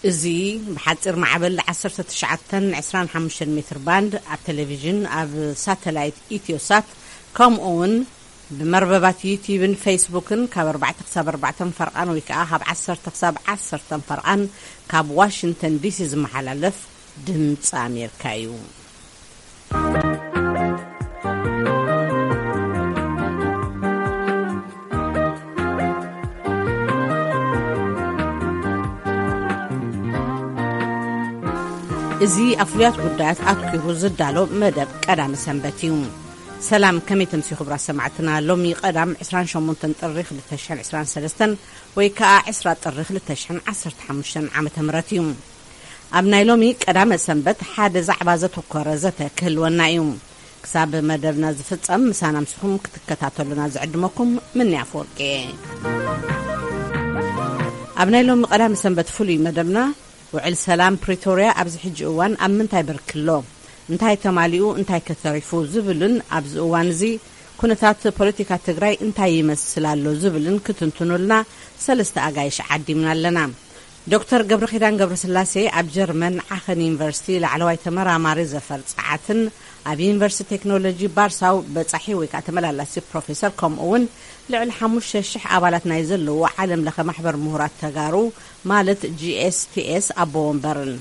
እዚ ብሓፂር ማዕበል ዓሰርተ ትሽዓተን ዕስራን ሓሙሽተን ሜትር ባንድ ኣብ ቴሌቪዥን፣ ኣብ ሳተላይት ኢትዮሳት፣ ከምኡ እውን ብመርበባት ዩቲዩብን ፌስቡክን ካብ ኣርባዕተ ክሳብ ኣርባዕተ ፈርቓን ወይ ከዓ ካብ ዓሰርተ ክሳብ ዓሰርተ ፈርቓን ካብ ዋሽንግተን ዲሲ ዝመሓላለፍ ድምፂ ኣሜሪካ እዩ። እዚ ኣብ ፍሉያት ጉዳያት ኣትኲሩ ዝዳሎ መደብ ቀዳመ ሰንበት እዩ። ሰላም፣ ከመይ ተምሲ ክቡራት ሰማዕትና? ሎሚ ቀዳም ዕስራን ሸሞንተን ጥሪ ክልተ ሽሕን ዕስራን ሰለስተን ወይ ከዓ ዕስራ ጥሪ ክልተ ሽሕን ዓሰርተ ሓሙሽተን ዓመተ ምህረት እዩ። ኣብ ናይ ሎሚ ቀዳመ ሰንበት ሓደ ዛዕባ ዘተኮረ ዘተ ክህልወና እዩ። ክሳብ መደብና ዝፍጸም ምሳና ምስኹም ክትከታተሉና ዝዕድመኩም ምኒ ኣፈወርቂ እየ። ኣብ ናይ ሎሚ ቀዳመ ሰንበት ፍሉይ መደብና፣ ውዕል ሰላም ፕሪቶርያ ኣብዚ ሕጂ እዋን ኣብ ምንታይ ብርኪ ኣሎ? እንታይ ተማሊኡ እንታይ ከተሪፉ? ዝብልን ኣብዚ እዋን እዚ ኩነታት ፖለቲካ ትግራይ እንታይ ይመስል ኣሎ? ዝብልን ክትንትኑልና ሰለስተ ኣጋይሽ ዓዲምና ኣለና። ዶክተር ገብረኺዳን ገብረስላሴ ኣብ ጀርመን ዓኸን ዩኒቨርሲቲ ላዕለዋይ ተመራማሪ ዘፈር ጸዓትን ኣብ ዩኒቨርሲቲ ቴክኖሎጂ ባርሳው በጻሒ ወይ ከዓ ተመላላሲ ፕሮፌሰር፣ ከምኡ እውን ልዕሊ ሓሙሽተ ሽሕ ኣባላት ናይ ዘለዎ ዓለም ለኸ ማሕበር ምሁራት ተጋሩ ማለት ጂኤስቲኤስ ኣቦ ወንበርን።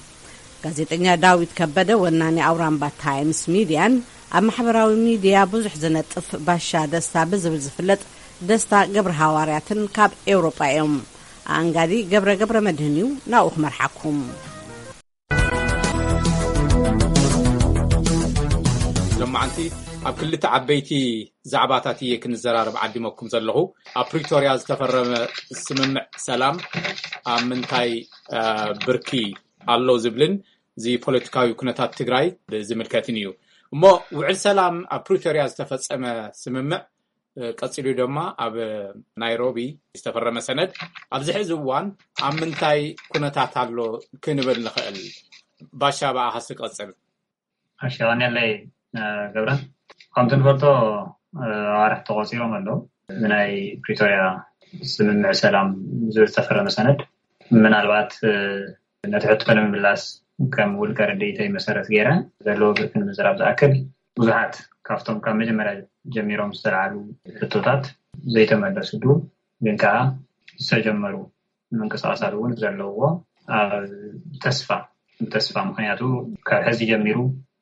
ጋዜጠኛ ዳዊት ከበደ ወናኒ ኣውራምባ ታይምስ ሚድያን ኣብ ማሕበራዊ ሚድያ ብዙሕ ዝነጥፍ ባሻ ደስታ ብዝብል ዝፍለጥ ደስታ ገብረ ሃዋርያትን ካብ ኤውሮጳ እዮም። ኣንጋዲ ገብረ ገብረ መድህን እዩ ናብኡ ክመርሓኩም። ሎማዓንቲ ኣብ ክልተ ዓበይቲ ዛዕባታት እየ ክንዘራረብ ዓዲመኩም ዘለኹ። ኣብ ፕሪቶርያ ዝተፈረመ ስምምዕ ሰላም ኣብ ምንታይ፣ እ፣ ብርኪ ኣሎ ዝብልን እዚ ፖለቲካዊ ኩነታት ትግራይ ዝምልከትን እዩ። እሞ ውዕል ሰላም ኣብ ፕሪቶርያ ዝተፈጸመ ስምምዕ፣ እ፣ ቀጺሉ ድማ ኣብ ናይሮቢ ዝተፈረመ ሰነድ ኣብዚ ሕዚ እዋን ኣብ ምንታይ ኩነታት ኣሎ ክንብል ንኽእል? ባሻ፣ ብኣኻስ ቀጽል። እሺ፣ ቀንየለይ፣ እ፣ ገብረ። ከምቲ ንፈልጦ፣ እ፣ ኣዋርሕ ተቆጺሮም ኣለዉ። ብናይ ፕሪቶርያ ስምምዕ ሰላም ዝብል ዝተፈረመ ሰነድ ምናልባት፣ እ፣ ነቲ ሕቶ ንምምላስ ከም ውልቀ ርድኢተይ መሰረት ገይረ ዘለዎ ብርኪ ንምዝራብ ዝኣክል፣ ብዙሓት ካብቶም ካብ መጀመርያ ጀሚሮም ዝተልዓሉ ሕቶታት ዘይተመለስሉ ግን ከዓ ዝተጀመሩ ምንቅስቃሳት እውን ዘለዎ ኣብ ተስፋ፣ ተስፋ፣ ምክንያቱ ካብ ሕዚ ጀሚሩ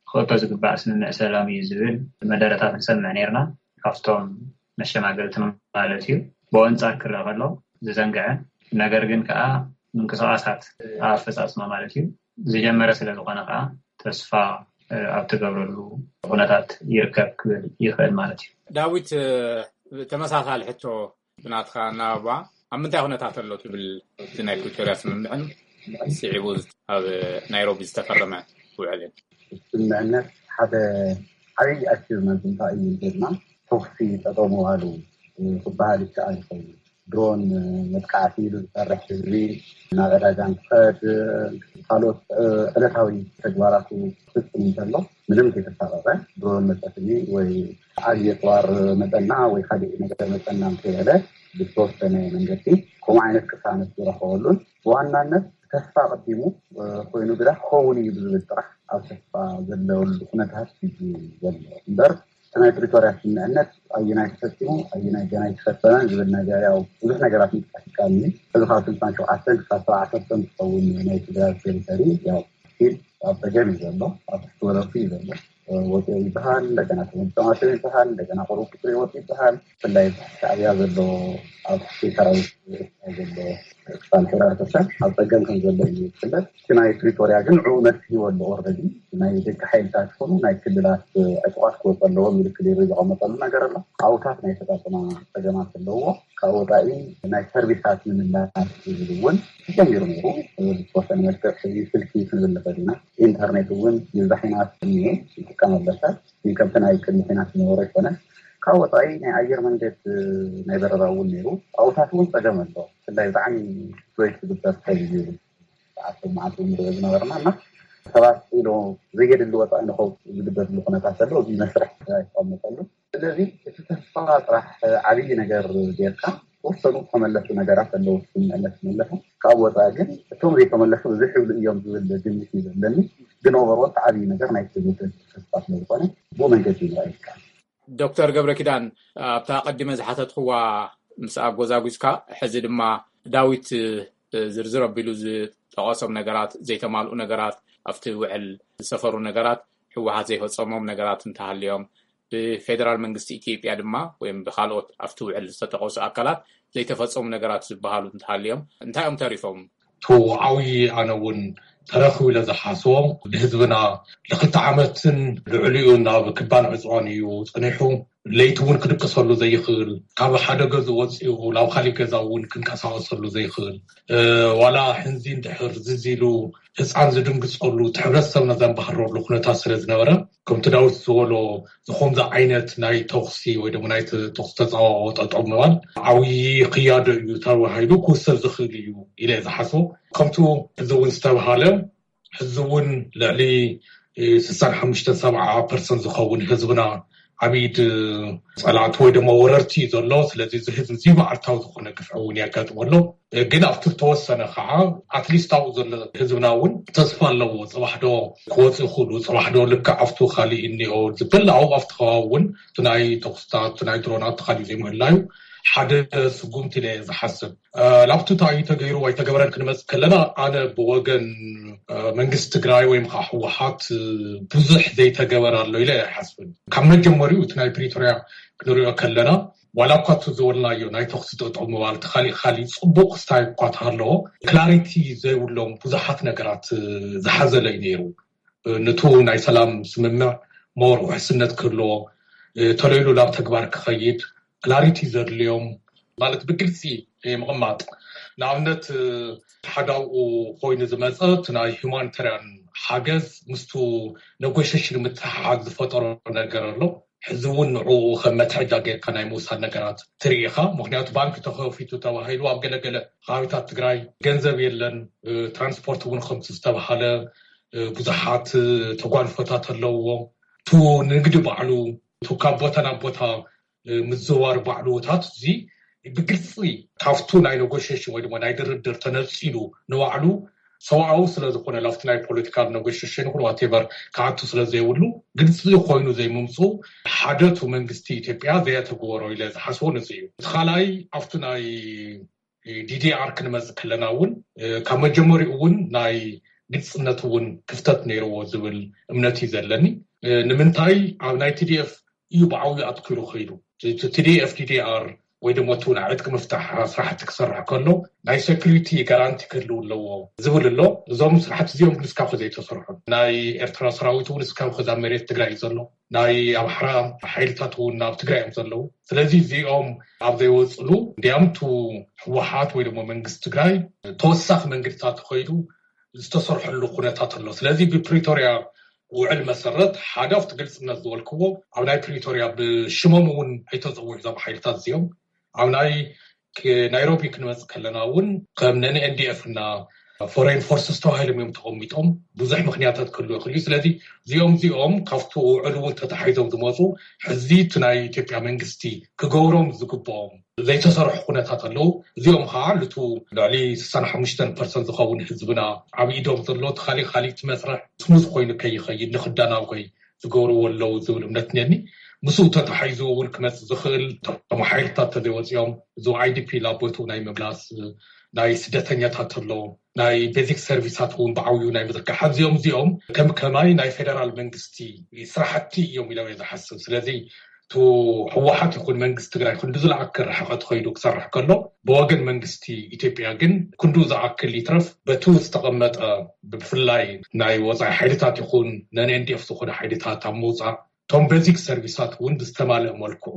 ክእቶ ዝግባእ ስምምዕ ሰላም እዩ ዝብል መደረታት ንሰምዕ ነርና፣ ካብቶም መሸማገልቲ ማለት እዩ። ብኣንጻር ክረአ ከሎ ዝዘንግዐ ነገር ግን ከዓ ምንቅስቃሳት ኣፈጻጽማ ማለት እዩ ዝጀመረ ስለ ዝኾነ ከዓ ተስፋ ኣብ ትገብረሉ ኩነታት ይርከብ ክብል ይኽእል ማለት እዩ። ዳዊት፣ ተመሳሳሊ ሕቶ ብናትካ እናባ፣ ኣብ ምንታይ ኩነታት ኣሎ ትብል እቲ ናይ ፕሪቶርያ ስምምዕን ስዒቡ ኣብ ናይሮቢ ዝተፈረመ ውዕልን? ስምምዕነት ሓደ ዓብዪ ኣቺቭመንት እንታይ እዩ እንተልና፣ ተኹሲ ጠጠው ምባሉ ክበሃል ይከኣል ይኸውን። ድሮን መጥቃዕቲ ኢሉ ዝሰርሕ ህዝቢ ናብ ዕዳጋ እንትኸድ፣ ካልኦት ዕለታዊ ተግባራቱ ክፍፅም እንተሎ ምንም ከይተሳቐቐ፣ ድሮን መፀትኒ ወይ ዓብዪ ኣፅዋር መፀና ወይ ካልእ ነገር መፀና እንተይበለ፣ ብዝተወሰነ መንገዲ ከምኡ ዓይነት ቅሳነት ዝረኸበሉን ብዋናነት ተስፋ ኣቐዲሙ ኮይኑ ግዳ ክኸውን እዩ ብዝብል ጥራሕ ኣብ ተስፋ ዘለወሉ ኩነታት እዩ ዘሎ እምበር፣ እቲ ናይ ፕሪቶርያ ስምምዕነት ኣየናይ ተፈፂሙ ኣየናይ ገና ኣይተፈፀመን ዝብል ነገር፣ ያው ብዙሕ ነገራት ምጥቃስ ይከኣል እዩ። እዚ ካብ ስልሳን ሸውዓተን ክሳብ ሰብዓ ፐርሰንት ዝኸውን ናይ ትግራይ ቴሪቶሪ ያው ስቲል ኣብ ፀገም እዩ ዘሎ፣ ኣብ ትሕቲ ወረርቲ እዩ ዘሎ። ወፂኦ ይበሃል፣ እንደገና ተመልሶም ኣተው ይበሃል፣ እንደገና ቁሩብ ቁፅሪ ይወፅ ይበሃል። ብፍላይ ሻዕብያ ዘሎ ኣብ ትሕቲ ሰራዊት ኤርትራ ዘሎ ክፋል ሕብረተሰብ ኣብ ፀገም ከም ዘሎ እዩ ዝፍለጥ። እቲ ናይ ፕሪቶርያ ግን ንዕኡ መልሲ ሂቡ ኣሎ። ኦልሬዲ ናይ ደቂ ሓይልታት ይኹኑ ናይ ክልላት ዕጡቓት ክወፁ ኣለዎም ኢሉ ክሊርሊ ዘቐመጠሉ ነገር ኣሎ። ኣብታት ናይ ኣፈፃፅማ ፀገማት ኣለዎ። ካብ ወፃኢ ናይ ሰርቪሳት ምምላስ ዝብል እውን ተጀሚሩ ነይሩ። ብዝተወሰነ መልክዕ ሕዚ ስልኪ ክንብል ንኽእል ኢና። ኢንተርኔት እውን ይብዛሕ ኢና እኒሄ ይጥቀም ኣሎ ሰብ። ግን ከምቲ ናይ ቅድሚ ኲናት ዝነበረ ኣይኮነን። ካብ ወፃኢ ናይ ኣየር መንገድ ናይ በረራ እውን ነይሩ። ኣብታት እውን ፀገም ኣሎ። ብፍላይ ብጣዕሚ ስትሬት ዝግበር ሰብ እዩ። ሰዓት መዓልቲ እውን ንሪኦ ዝነበርና እና ሰባት ኢሎ ዘየድሊ ወፃኢ ንኸውፅኡ ዝግበርሉ ኩነታት ዘሎ እዚ መስርሕ ኣይተቐመጠሉ። ስለዚ እቲ ተስፋ ጥራሕ ዓብዪ ነገር ጌርካ ዝተወሰኑ ዝተመለሱ ነገራት ኣለዉ። ክምለስ መለሱ ካብ ወፃኢ ግን እቶም ዘይተመለሱ ብዙሕ ይብሉ እዮም ዝብል ግምት እዩ ዘለኒ። ግን ኦቨርኦል ዓብዪ ነገር ናይ ትዝብል ተስፋ ስለዝኾነ ብኡ መንገዲ ይረአ ይከኣል። ዶክተር ገብረ ኪዳን፣ ኣብታ ቀዲመ ዝሓተትክዋ ምስ ኣጎዛጉዝካ፣ ሕዚ ድማ ዳዊት ዝርዝር ኣቢሉ ዝጠቐሶም ነገራት፣ ዘይተማልኡ ነገራት፣ ኣብቲ ውዕል ዝሰፈሩ ነገራት፣ ህወሓት ዘይፈፀሞም ነገራት እንተሃልዮም፣ ብፌደራል መንግስቲ ኢትዮጵያ ድማ ወይም ብካልኦት ኣብቲ ውዕል ዝተጠቐሱ ኣካላት ዘይተፈፀሙ ነገራት ዝበሃሉ እንተሃልዮም እንታይ እዮም ተሪፎም? ቱ ዓብዪ ኣነ እውን ተረኺቡ ኢለ ዝሓስቦ ንህዝብና ንክልተ ዓመትን ልዕሊኡ ናብ ክባን ዕፅዋን እዩ ፀኒሑ። ለይቲ እውን ክድቅሰሉ ዘይኽእል፣ ካብ ሓደ ገዝኡ ወፂኡ ናብ ካሊእ ገዛ እውን ክንቀሳቀሰሉ ዘይኽእል፣ ዋላ ሕንዚ እንድሕር ዝዚሉ ህፃን ዝድንግፀሉ፣ እቲ ሕብረተሰብና ዘንባህረሉ ኩነታት ስለ ዝነበረ፣ ከምቲ ዳዊት ዝበሎ ዝኮምዚ ዓይነት ናይ ተኩሲ ወይ ድማ ናይ ተኩሲ ተፃዋኦ ጠጠው ምባል ዓብዪ ክያዶ እዩ ተባሂሉ ክውሰድ ዝኽእል እዩ ኢለ ዝሓስቦ። ከምቱ እዚ እውን ዝተባሃለ፣ ሕዚ እውን ልዕሊ ስሳን ሓሙሽተን ሰብዓ ፐርሰንት ዝኸውን ህዝብና ኣብ ኢድ ፀላእቲ ወይ ድማ ወረርቲ እዩ ዘሎ። ስለዚ እዚ ህዝቢ እዚ መዓልታዊ ዝኾነ ግፍዒ እውን የጋጥሞ ኣሎ። ግን ኣብቲ ዝተወሰነ ከዓ ኣትሊስት ኣብኡ ዘሎ ህዝብና እውን ተስፋ ኣለዎ። ፅባሕ ዶ ክወፁ ይኽእሉ፣ ፅባሕ ዶ ልክዕ ኣብቱ ካሊእ እኒኦ ዝብል ኣብኡ ኣብቲ ከባቢ እውን እቲ ናይ ተኩስታት፣ እቲ ናይ ድሮናት፣ እቲ ካሊእ ዘይምህላዩ ሓደ ስጉምቲ ኢለ ዝሓስብ። ላብቱ እንታይ እዩ ተገይሩ ወይ ተገበረን ክንመፅእ ከለና ኣነ ብወገን መንግስቲ ትግራይ ወይም ከዓ ህወሓት ብዙሕ ዘይተገበረ ኣሎ ኢለ ኣይሓስብን። ካብ መጀመሪኡ እቲ ናይ ፕሪቶርያ ክንሪኦ ከለና ዋላ እኳ እቲ ዝበልናዮ ናይ ተኩሲ ጠጠው ምባል እቲ ካሊእ ካሊእ ፅቡቅ ክስታይ እኳ ተሃለዎ ክላሪቲ ዘይብሎም ብዙሓት ነገራት ዝሓዘለ እዩ ነይሩ። ንቱ ናይ ሰላም ስምምዕ ሞር ውሕስነት ክህልዎ ተለይሉ ናብ ተግባር ክኸይድ ክላሪቲ ዘድልዮም ማለት ብግልፂ ምቕማጥ ንኣብነት ሓዳውኡ ኮይኑ ዝመፀ እቲ ናይ ሁማኒታርያን ሓገዝ ምስቱ ነጎሸሽን ምትሓሓዝ ዝፈጠሮ ነገር ኣሎ። ሕዚ እውን ንዕኡ ከም መትሐጃ ጌርካ ናይ ምውሳድ ነገራት ትርኢ ኢኻ። ምክንያቱ ባንክ ተኸፊቱ ተባሂሉ ኣብ ገለገለ ከባቢታት ትግራይ ገንዘብ የለን። ትራንስፖርት እውን ከምቲ ዝተባሃለ ብዙሓት ተጓንፎታት ኣለውዎ። ቱ ንግዲ ባዕሉ ቱ ካብ ቦታ ናብ ቦታ ምዝዋር ባዕሉ ታት እዚ ብግልፂ ካብቱ ናይ ኔጎሽሽን ወይ ድማ ናይ ድርድር ተነፂሉ ንባዕሉ ሰብኣዊ ስለዝኾነ ላፍቲ ናይ ፖለቲካል ኔጎሽሽን ይኹን ዋቴቨር ክኣቱ ስለዘይብሉ ግልፂ ኮይኑ ዘይምምፁ ሓደቱ መንግስቲ ኢትዮጵያ ዘየተግበሮ ኢለ ዝሓስቦ ነዚ እዩ። እቲ ካልኣይ ኣብቱ ናይ ዲዲኣር ክንመፅእ ከለና እውን ካብ መጀመሪኡ እውን ናይ ግልፅነት እውን ክፍተት ነይርዎ ዝብል እምነት እዩ ዘለኒ። ንምንታይ ኣብ ናይ ቲዲኤፍ እዩ ብዓብዩ ኣትኪሩ ከይዱ። ቲዲኤፍ ዲዲኣር ወይ ድማ እቲ ናይ ዕጥቂ ምፍታሕ ስራሕቲ ክሰርሕ ከሎ ናይ ሴኩሪቲ ጋራንቲ ክህልው ኣለዎ ዝብል ኣሎ። እዞም ስራሕቲ እዚኦም ግን እስካብ ከ ዘይተሰርሑ ናይ ኤርትራ ሰራዊት እውን እስካብ ከዛ መሬት ትግራይ እዩ ዘሎ። ናይ ኣምሓራ ሓይልታት እውን ኣብ ትግራይ እዮም ዘለዉ። ስለዚ እዚኦም ኣብ ዘይወፅሉ እንዲያምቱ ህወሓት ወይ ድማ መንግስቲ ትግራይ ተወሳኺ መንገድታት ተኸይዱ ዝተሰርሐሉ ኩነታት ኣሎ። ስለዚ ብፕሪቶርያ ውዕል መሰረት ሓደ ኣብቲ ግልፅነት ዝበልክዎ ኣብ ናይ ፕሪቶርያ ብሽሞም እውን ኣይተፀውዑ እዞም ሓይልታት እዚኦም ኣብ ናይ ናይሮቢ ክንመፅእ ከለና እውን ከም ነን ኤንዲኤፍ እና ፎሬን ፎርስስ ተባሂሎም እዮም ተቐሚጦም። ብዙሕ ምክንያታት ክህሉ ይኽእል እዩ። ስለዚ እዚኦም እዚኦም ካብቲ ውዕል እውን ተተሓሒዞም ዝመፁ ሕዚ እቲ ናይ ኢትዮጵያ መንግስቲ ክገብሮም ዝግብኦም ዘይተሰርሑ ኩነታት ኣለዉ። እዚኦም ከዓ ልቱ ልዕሊ ስሳን ሓሙሽተን ፐርሰንት ዝኸውን ህዝብና ኣብ ኢዶም ዘሎ እቲ ካሊእ ካሊእ እቲ መስርሕ ስሙዝ ኮይኑ ከይኸይድ ንክዳናጎይ ዝገብርዎ ኣለዉ ዝብል እምነት እኒአኒ። ምስኡ ተተሓሒዙ እውን ክመፅእ ዝኽእል እቶም ሓይልታት ተዘይወፂኦም እዚ ኣይዲፒ ናብ ቦትኡ ናይ ምምላስ ናይ ስደተኛታት ኣሎ ናይ ቤዚክ ሰርቪሳት እውን ብዓብዩ ናይ ምዝርጋሕ እዚኦም እዚኦም ከም ከማይ ናይ ፌደራል መንግስቲ ስራሕቲ እዮም ኢሎም እየ ዝሓስብ። ስለዚ እቲ ህወሓት ይኹን መንግስቲ ትግራይ ክንዱ ዝለኣክል ርሕቐት ከይዱ ክሰርሕ ከሎ ብወገን መንግስቲ ኢትዮጵያ ግን ክንዱ ዝኣክል ይትረፍ በቲ ዝተቐመጠ ብፍላይ ናይ ወፃኢ ሓይልታት ይኹን ነን ኤንዲኤፍ ዝኾነ ሓይልታት ኣብ ምውፃእ እቶም ቤዚክ ሰርቪሳት እውን ብዝተማልእ መልክዑ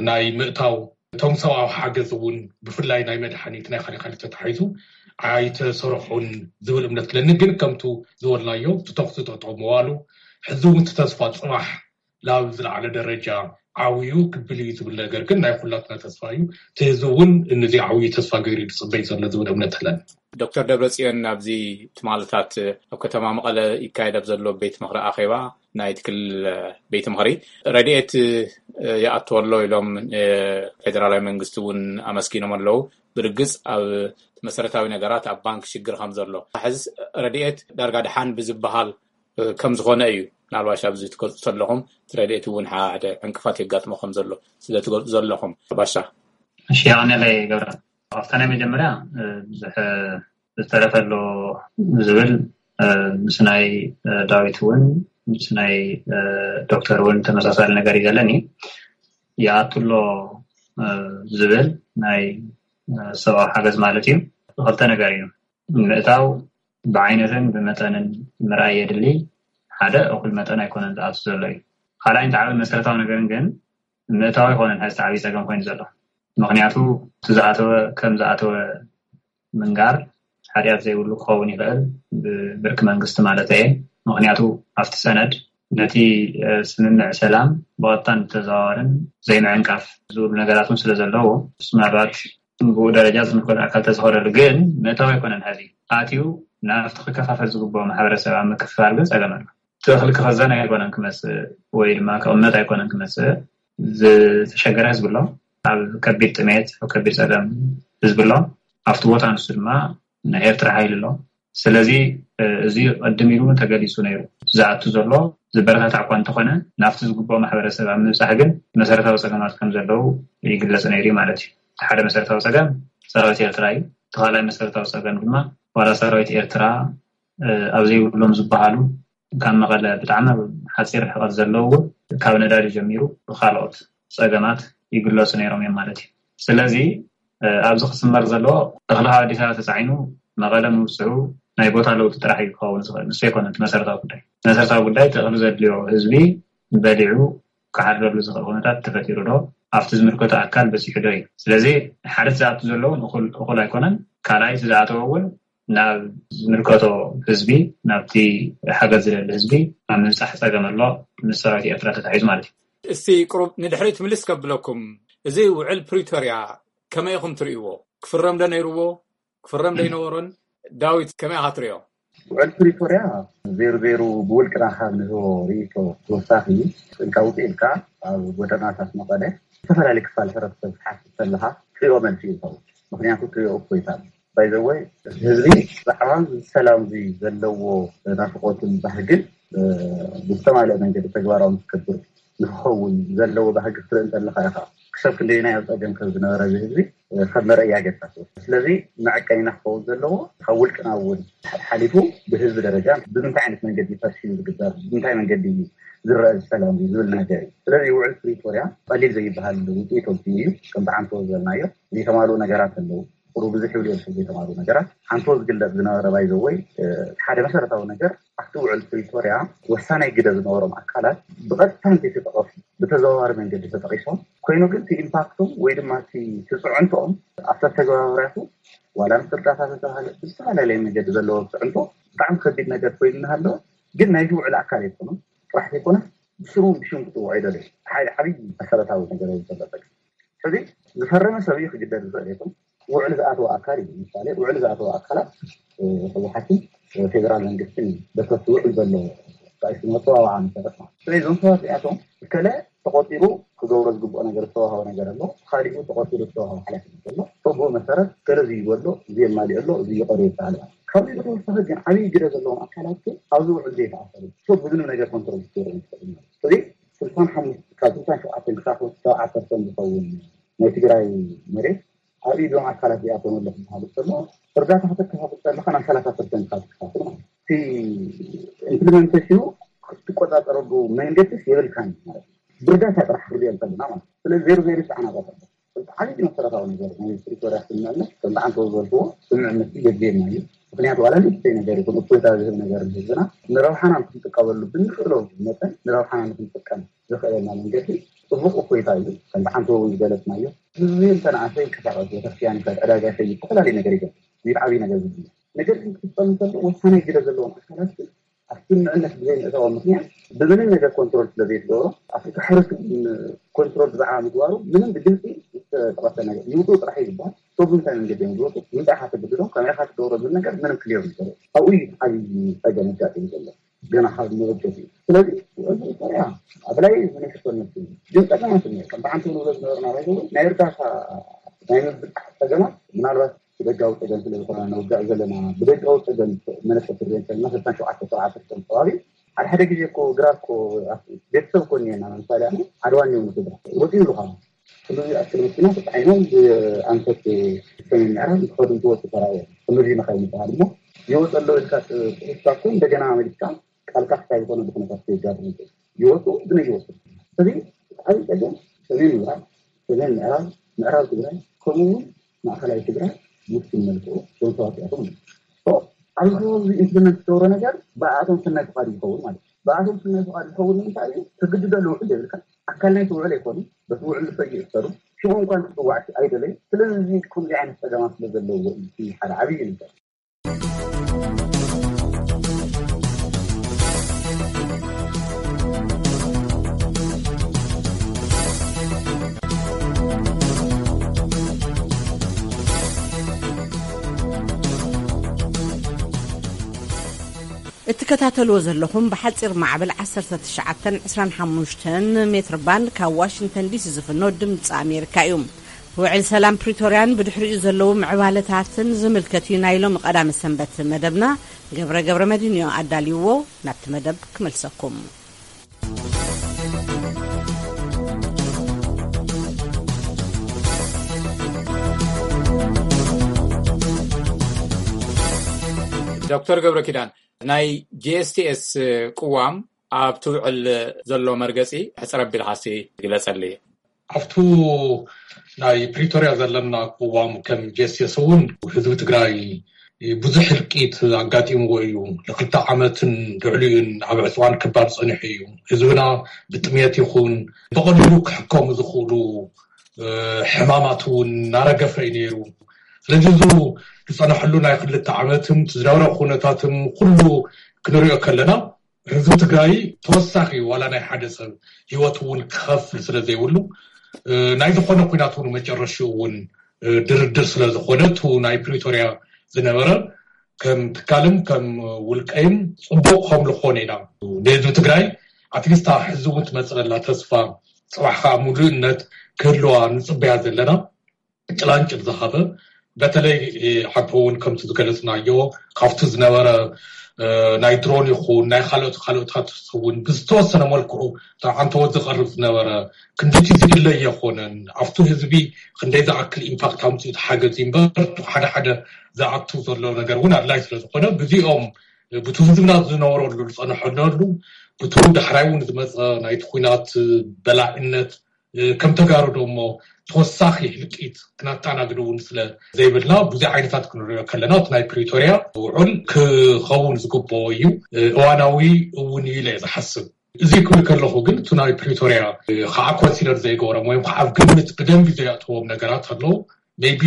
ናይ ምእታው እቶም ሰብኣዊ ሓገዝ እውን ብፍላይ ናይ መድሓኒት ናይ ካሊእ ካሊእ ተታሒዙ ኣይተሰርሑን ዝብል እምነት ክለኒ ግን ከምቱ ዝበልናዮ እቲ ተኩሲ ጠጠው ምባሉ ሕዚ እውን እቲ ተስፋ ፅባሕ ናብ ዝለዓለ ደረጃ ዓብዩ ክብል እዩ ዝብል ነገር ግን ናይ ኩላትና ተስፋ እዩ። እቲ ህዝቢ እውን ነዚ ዓብዩ ተስፋ ገይሩ ዝፅበይ ዘሎ ዝብል እምነት ኣለኒ። ዶክተር ደብረፅዮን ኣብዚ ትማልታት ኣብ ከተማ መቐለ ይካየድ ኣብ ዘሎ ቤት ምኽሪ ኣኼባ ናይ ትክል ቤት ምኽሪ ረድኤት ይኣትዎ ኣሎ ኢሎም ፌደራላዊ መንግስቲ እውን ኣመስጊኖም ኣለዉ። ብርግፅ ኣብ መሰረታዊ ነገራት ኣብ ባንክ ሽግር ከም ዘሎ፣ ሕዚ ረድኤት ዳርጋ ድሓን ብዝበሃል ከም ዝኾነ እዩ። ምናልባሽ ኣብዚ ትገልፁ ዘለኹም እቲ ረድኤት እውን ሓደ ዕንቅፋት የጋጥሞ ከም ዘሎ ስለ ትገልፁ ዘለኹም ባሻ። እሺ፣ ያው ነለይ ገብረ፣ ኣብታ ናይ መጀመርያ ብዙሕ ዝተረፈ ኣሎ ዝብል ምስ ናይ ዳዊት እውን ምስ ናይ ዶክተር እውን ተመሳሳሊ ነገር እዩ ዘለኒ። ይኣቱ ኣሎ ዝብል ናይ ሰብኣዊ ሓገዝ ማለት እዩ። ክልተ ነገር እዩ። ምእታው ብዓይነትን ብመጠንን ምርኣይ የድሊ። ሓደ እኹል መጠን ኣይኮነን ዝኣቱ ዘሎ እዩ። ካልኣይ፣ እንተዓበ መሰረታዊ ነገርን ግን ምእታው ኣይኮነን ሕዚ ዓብዪ ፀገም ኮይኑ ዘሎ። ምክንያቱ እቲ ዝኣተወ ከም ዝኣተወ ምንጋር ሓጢኣት ዘይብሉ ክኸውን ይኽእል፣ ብብርኪ መንግስቲ ማለት እየ። ምክንያቱ ኣብቲ ሰነድ ነቲ ስምምዕ ሰላም ብቐጥታን ብተዘዋዋርን ዘይምዕንቃፍ ዝብሉ ነገራት እውን ስለ ዘለዉ፣ ምናልባት ብኡ ደረጃ ዝምልከት ኣካል ተዝኸደሉ፣ ግን ምእታው ኣይኮነን። ሕዚ ኣትዩ ናብቲ ክከፋፈል ዝግብኦ ማሕበረሰብ ኣብ ምክፍፋል ግን ፀገም ኣሎ። እቲ እኽሊ ክኽዘን ኣይኮነን ክመፅእ ወይ ድማ ክቕመጥ ኣይኮነን ክመፅእ። ዝተሸገረ ህዝቢ ኣሎ፣ ኣብ ከቢድ ጥሜት፣ ኣብ ከቢድ ፀገም ህዝቢ ኣሎ። ኣብቲ ቦታ ንሱ ድማ ናይ ኤርትራ ሓይሊ ኣሎ። ስለዚ እዚ ቅድም ኢሉ እውን ተገሊፁ ነይሩ። ዝኣቱ ዘሎ ዝበረታታዕ እኳ እንተኾነ ናብቲ ዝግብኦ ማሕበረሰብ ኣብ ምብፃሕ ግን መሰረታዊ ፀገማት ከም ዘለዉ ይግለፅ ነይሩ እዩ ማለት እዩ። እቲ ሓደ መሰረታዊ ፀገም ሰራዊት ኤርትራ እዩ። እቲ ካልኣይ መሰረታዊ ፀገም ድማ ዋላ ሰራዊት ኤርትራ ኣብ ዘይብሎም ዝበሃሉ ካብ መቐለ ብጣዕሚ ሓፂር ርሕቐት ዘለዉ እውን ካብ ነዳዲ ጀሚሩ ብካልኦት ፀገማት ይግለፁ ነይሮም እዮም ማለት እዩ። ስለዚ ኣብዚ ክስመር ዘለዎ እኽሊ ካብ ኣዲስ ኣበባ ተፃዒኑ መቐለ ምብፅሑ ናይ ቦታ ለውጢ ጥራሕ እዩ ክኸውን ዝኽእል፣ ንሱ ኣይኮነን እቲ መሰረታዊ ጉዳይ። መሰረታዊ ጉዳይ እቲ እኽሊ ዘድልዮ ህዝቢ በሊዑ ክሓድረሉ ዝኽእል ኩነታት ተፈጢሩ ዶ፣ ኣብቲ ዝምልከቶ ኣካል በፂሑ ዶ እዩ። ስለዚ ሓደ እቲ ዝኣቱ ዘለውን እኹል ኣይኮነን፣ ካልኣይ እቲ ዝኣተወ እውን ናብ ዝምልከቶ ህዝቢ፣ ናብቲ ሓገዝ ዝደሊ ህዝቢ ኣብ ምብፃሕ ፀገም ኣሎ፣ ምስ ሰራዊት ኤርትራ ተታሒዙ ማለት እዩ። እስቲ ቁሩብ ንድሕሪት ምልስ ከብለኩም፣ እዚ ውዕል ፕሪቶርያ ከመይ ኢኹም ትርእይዎ? ክፍረም ዶ ነይርዎ? ክፍረም ዶ ኣይነበሮን? ዳዊት ከመይ ኢኻ ትርእዮ? ውዕል ፕሪቶርያ ዜሩ ዜሩ ብውልቅና ካብ ንህቦ ርእይቶ ተወሳኺ፣ ስእልካ ውፅእ ኢልካ ኣብ ጎደናታት መቐለ ዝተፈላለዩ ክፋል ሕብረተሰብ ክትሓትት ከለኻ ትሪኦ መልሲ እዩ ዝኸውን። ምክንያቱ ትሪኦ እፎይታ ኣሎ። ባይዘወይ ህዝቢ ብዛዕባ ሰላም እዚ ዘለዎ ናፍቆትን ባህግን ብዝተማልአ መንገዲ ተግባራዊ ንክገብር ንክኸውን ዘለዎ ባህጊ ክትርኢ እንተለካ ኢኻ ክሳብ ክንደየናይ ኣብ ፀገም ከም ዝነበረ እዚ ህዝቢ ከም መረእያ ጌርካ ትወስዶ። ስለዚ መዐቀኒና ክኸውን ዘለዎ ካብ ውልቅና እውን ሓሊፉ ብህዝቢ ደረጃ ብምንታይ ዓይነት መንገዲ እዩ ፐርሲቭ ዝግበር፣ ብምንታይ መንገዲ እዩ ዝረአ እዚ ሰላም ዝብል ነገር እዩ። ስለዚ ውዕል ፕሪቶርያ ቀሊል ዘይበሃል ውፅኢት ኣምፂኡ እዩ። ከምቲ ዓንቶ ዝበልናዮ ዘይተማልኡ ነገራት ኣለዉ። ቁሩብ ብዙሕ ይብሉ እዮም ዘይተማልኡ ነገራት። ዓንቶ ዝግለፅ ዝነበረ ባይዘወይ ሓደ መሰረታዊ ነገር ኣብቲ ውዕል ፕሪቶርያ ወሳናይ ግደ ዝነበሮም ኣካላት ብቐጥታ እንተይተጠቐሱ ብተዘዋዋሪ መንገዲ ተጠቒሶም ኮይኑ ግን እቲ ኢምፓክቶም ወይ ድማ እቲ እቲ ፅዕንቶኦም ኣብቲ ኣተገባባሪያቱ ዋላ ምስ እርዳታ ዝተባሃለ ብዝተፈላለየ መንገዲ ዘለዎ ፅዕንቶ ብጣዕሚ ከቢድ ነገር ኮይኑ እናሃለወ ግን ናይቲ ውዕል ኣካል ኣይኮኑን ጥራሕ ዘይኮነ ብስሩ ብሽም ክፅውዖ ይደልዩ። ሓደ ዓብዪ መሰረታዊ ነገር እዩ ዘሎ ፀገም። ሕዚ ዝፈረመ ሰብ እዩ ክግደድ ዝኽእል ይኹን ውዕል ዝኣተወ ኣካል እዩ። ምሳሌ ውዕል ዝኣተወ ኣካላት ህወሓትን ፌደራል መንግስትን በተቲ ውዕል ዘሎ ጣይሱ መፀዋወዓ መሰረት ማለት ስለዚ እዞም ሰባት እዚኣቶም ከለ ተቆፂሩ ክገብሮ ዝግብኦ ነገር ዝተዋሃቦ ነገር ኣሎ፣ ካሊኡ ተቆፂሩ ዝተዋሃቦ ሓላፍነት ዘሎ ብኡ መሰረት ገለ ዝይበሎ ዝየማሊኦ ኣሎ ዝይቀርዮ ይበሃል። ካብዚ ብተወሳኺ ግን ዓብዪ ግደ ዘለዎም ኣካላት ግን ኣብዚ ውዕል ዘይተኣሰሩ ሰብ ብምንም ነገር ኮንትሮል ክትገብሮ ይትኽእል ማለት እዚ ስልሳን ሓሙሽተ ካብ ስልሳን ሸውዓተን ክሳብ ሰብዓ ፐርሰንት ዝኸውን ናይ ትግራይ መሬት ኣብ ኢዶም ኣካላት እዚኣቶም ኣሎ ክበሃል ከሎ እርዳታ ከተከፋፍል ከለካ ናብ ሰላሳ ፐርሰንት ካብ ትከፋፍል ማለት እቲ ኢምፕሊመንቴሽኑ ክትቆፃፀረሉ መንገድስ የብልካን ማለት ብርዳታ ጥራሕ ክሪኦ ከለና ማለት ስለዚ ዜሮ ዜሮ ፃዕና ዛተሎ ዓብይቲ መሰረታዊ ነገር ናይ ፕሪቶርያ ስምምዕነት ከም ብዓንተው ዝበልክዎ ስምምዕነት የድልየና እዩ። ምክንያቱ ዋላ ንእሽተይ ነገር ይኹን እፎይታ ዝህብ ነገር ንህዝብና ንረብሓና ንክንጥቀመሉ ብንኽእሎ መጠን ንረብሓና ንክንጥቀም ዘኽእለና መንገዲ ፅቡቕ እፎይታ እዩ። ከም ብዓንተው እውን ዝገለፅናዮ ህዝቢ እንተንኣሰ ይንቀሳቐስ፣ ቤተክርስትያን ይኸድ፣ ዕዳጋ ይኸይድ፣ ዝተፈላለዩ ነገር ይገብር። እዚ ዓብዪ ነገር ዝብል ነገር ግን ክፍፀም እንከሎ ወሳናይ ግደ ዘለዎም ኣካላት ግን ኣብ ስምምዕነት ብዘይምእታዎም ምክንያት ብምንም ነገር ኮንትሮል ስለዘይትገብሮ ኣብቲ ሕሩስ ኮንትሮል ብዛዕባ ምግባሩ ምንም ብግልፂ ዝተጠቐሰ ነገር ይውፅኡ ጥራሕ ይግባል። ሰብ ብምንታይ መንገዲ እዮም ዝወፁ፣ ምንታይ ኢኻ ተገድዶም፣ ከመይ ኢኻ ትገብሮ ዝብል ነገር ምንም ክሊር ይገሩ ኣብኡ እዩ ዓብዪ ፀገም ኣጋጢሙ ዘሎ። ገና ካብ መበገሲ እዩ። ስለዚ እዚ ያ ኣብ ላይ ዝነክቶ ነሱ ግን ጸገማት እኒኦ። ከምቲ ሓንቲ ንብሎ ዝነበርና ባይዘው ናይ እርዳታ ናይ ምብጻሕ ጸገማት ምናልባት ብደጋዊ ጸገም ስለ ዝኾነ ንውጋእ ዘለና ብደጋዊ ጸገም መለክት ርዘን ከለና ሰብታን ሸውዓተ ሰብዓ ፐርሰንት ከባቢ ሓደ ሓደ ግዜ እኮ ግራት እኮ ቤተሰብ እኮ እኒአና። ለምሳሌ ኣነ ዓድዋ እኒኦ ንስድራ ወፂኡ ዝኳነ ክሉ ኣክል መኪና ተፃዒኖም ብኣንፈት ሰሜን ምዕራብ እንትኸዱ እንትወፁ ተራእየ። ከምዚ መካይን ይበሃል እሞ ይወፅ ኣሎ ኢልካ ጥሪስካ እኮ እንደገና መሊስካ ቃልካ ክሳይ ዝኾነ ብኩነታት ከየጋጥም ይኽእል። ይወፁ ግን ኣይወፁ። እዚ ዓብዪ ፀገም ሰሜን ምብራቅ፣ ሰሜን ምዕራብ፣ ምዕራብ ትግራይ ከምኡ እውን ማእኸላይ ትግራይ ውስን መልክዑ ዞም ሰባት እያቶም። ኣብዚ ከባቢ ኢምፕሊመንት ዝገብሮ ነገር ብኣቶም ሰናይ ፍቓድ ይኸውን ማለት እዩ። ብኣቶም ሰናይ ፍቓድ ይኸውን ንምንታይ እዩ? ትግድዶ ልውዕል የብልካ። ኣካል ናይቲ ውዕል ኣይኮኑን። በቲ ውዕል ዝፈዩ ይእሰሩ። ሽዑ እንኳን ክፅዋዕ ኣይደለዩ። ስለዚ እዚ ከምዚ ዓይነት ፀገማት ስለ ዘለዎ እዩ እቲ ሓደ ዓብዪ ነገር። እትከታተልዎ ዘለኹም ብሓፂር ማዕበል ዓሰርተ ትሽዓተን ዕስራን ሓሙሽተን ሜትር ባንድ ካብ ዋሽንግተን ዲሲ ዝፍኖ ድምፂ ኣሜሪካ እዩ። ውዕል ሰላም ፕሪቶርያን ብድሕሪኡ ዘለዉ ምዕባለታትን ዝምልከት እዩ ናይ ሎሚ ቀዳመ ሰንበት መደብና። ገብረ ገብረ መድህን እዩ ኣዳልይዎ። ናብቲ መደብ ክመልሰኩም። ዶክተር ገብረ ኪዳን፣ ናይ ጂ ኤስ ቲ ኤስ ቅዋም ኣብቲ ውዕል ዘሎ መርገፂ ሕፅር ኣቢልካሲ ግለፀለይ። ኣብቱ ናይ ፕሪቶርያ ዘለና ቅዋም ከም ጂ ኤስ ቲ ኤስ እውን ህዝቢ ትግራይ ብዙሕ ህልቂት ኣጋጢምዎ እዩ። ንክልተ ዓመትን ልዕሊኡን ኣብ ዕፅዋን ክባር ፀኒሑ እዩ። ህዝብና ብጥሜት ይኹን ብቐሊሉ ክሕከሙ ዝኽእሉ ሕማማት እውን እናረገፈ እዩ ነይሩ። ስለዚ እዚ ዝፀናሐሉ ናይ ክልተ ዓመትን ዝነበረ ኩነታትን ኩሉ ክንሪኦ ከለና ህዝቢ ትግራይ ተወሳኺ ዋላ ናይ ሓደ ሰብ ህይወት እውን ክኸፍል ስለ ዘይብሉ ናይ ዝኾነ ኩናት እውን መጨረሽኡ እውን ድርድር ስለ ዝኾነ እቲ ናይ ፕሪቶርያ ዝነበረ ከም ትካልን ከም ውልቀይን ፅቡቕ ከም ዝኾነ ኢና ንህዝቢ ትግራይ ኣትሊስታ ሕዚ እውን ትመፅእ ዘላ ተስፋ ፅባሕ ከዓ ሙሉእነት ክህልዋ ንፅበያ ዘለና ጭላንጭል ዝሃበ በተለይ ሓንቲ እውን ከምቲ ዝገለፅናዮ ካብቲ ዝነበረ ናይ ድሮን ይኹን ናይ ካልኦት ካልኦታት እውን ብዝተወሰነ መልክዑ ተዓንተወት ዝቀርብ ዝነበረ ክንድቲ ዝድለ የኮነን ኣብቲ ህዝቢ ክንደይ ዝኣክል ኢምፓክት ኣምፅኡ ሓገዝ እምበር ሓደ ሓደ ዝኣቱ ዘሎ ነገር እውን ኣድላይ ስለዝኮነ ብዚኦም ብቲ ህዝብና ዝነበረሉ ዝፀነሐነሉ ብቲ ዳሕራይ እውን ዝመፀ ናይቲ ኩናት በላዕነት ከም ተጋሩ ደሞ ተወሳኺ ህልቂት ክነተኣናግድ እውን ስለ ዘይብልና ብዙ ዓይነታት ክንሪኦ ከለና እቲ ናይ ፕሪቶርያ ውዑል ክኸውን ዝግበኦ እዩ። እዋናዊ እውን እዩ ኢለ ዝሓስብ። እዚ ክብል ከለኹ ግን እቲ ናይ ፕሪቶርያ ከዓ ኮንሲደር ዘይገብሮም ወይም ከዓ ኣብ ግምት ብደንቢ ዘየእተዎም ነገራት ኣለዉ። ሜይቢ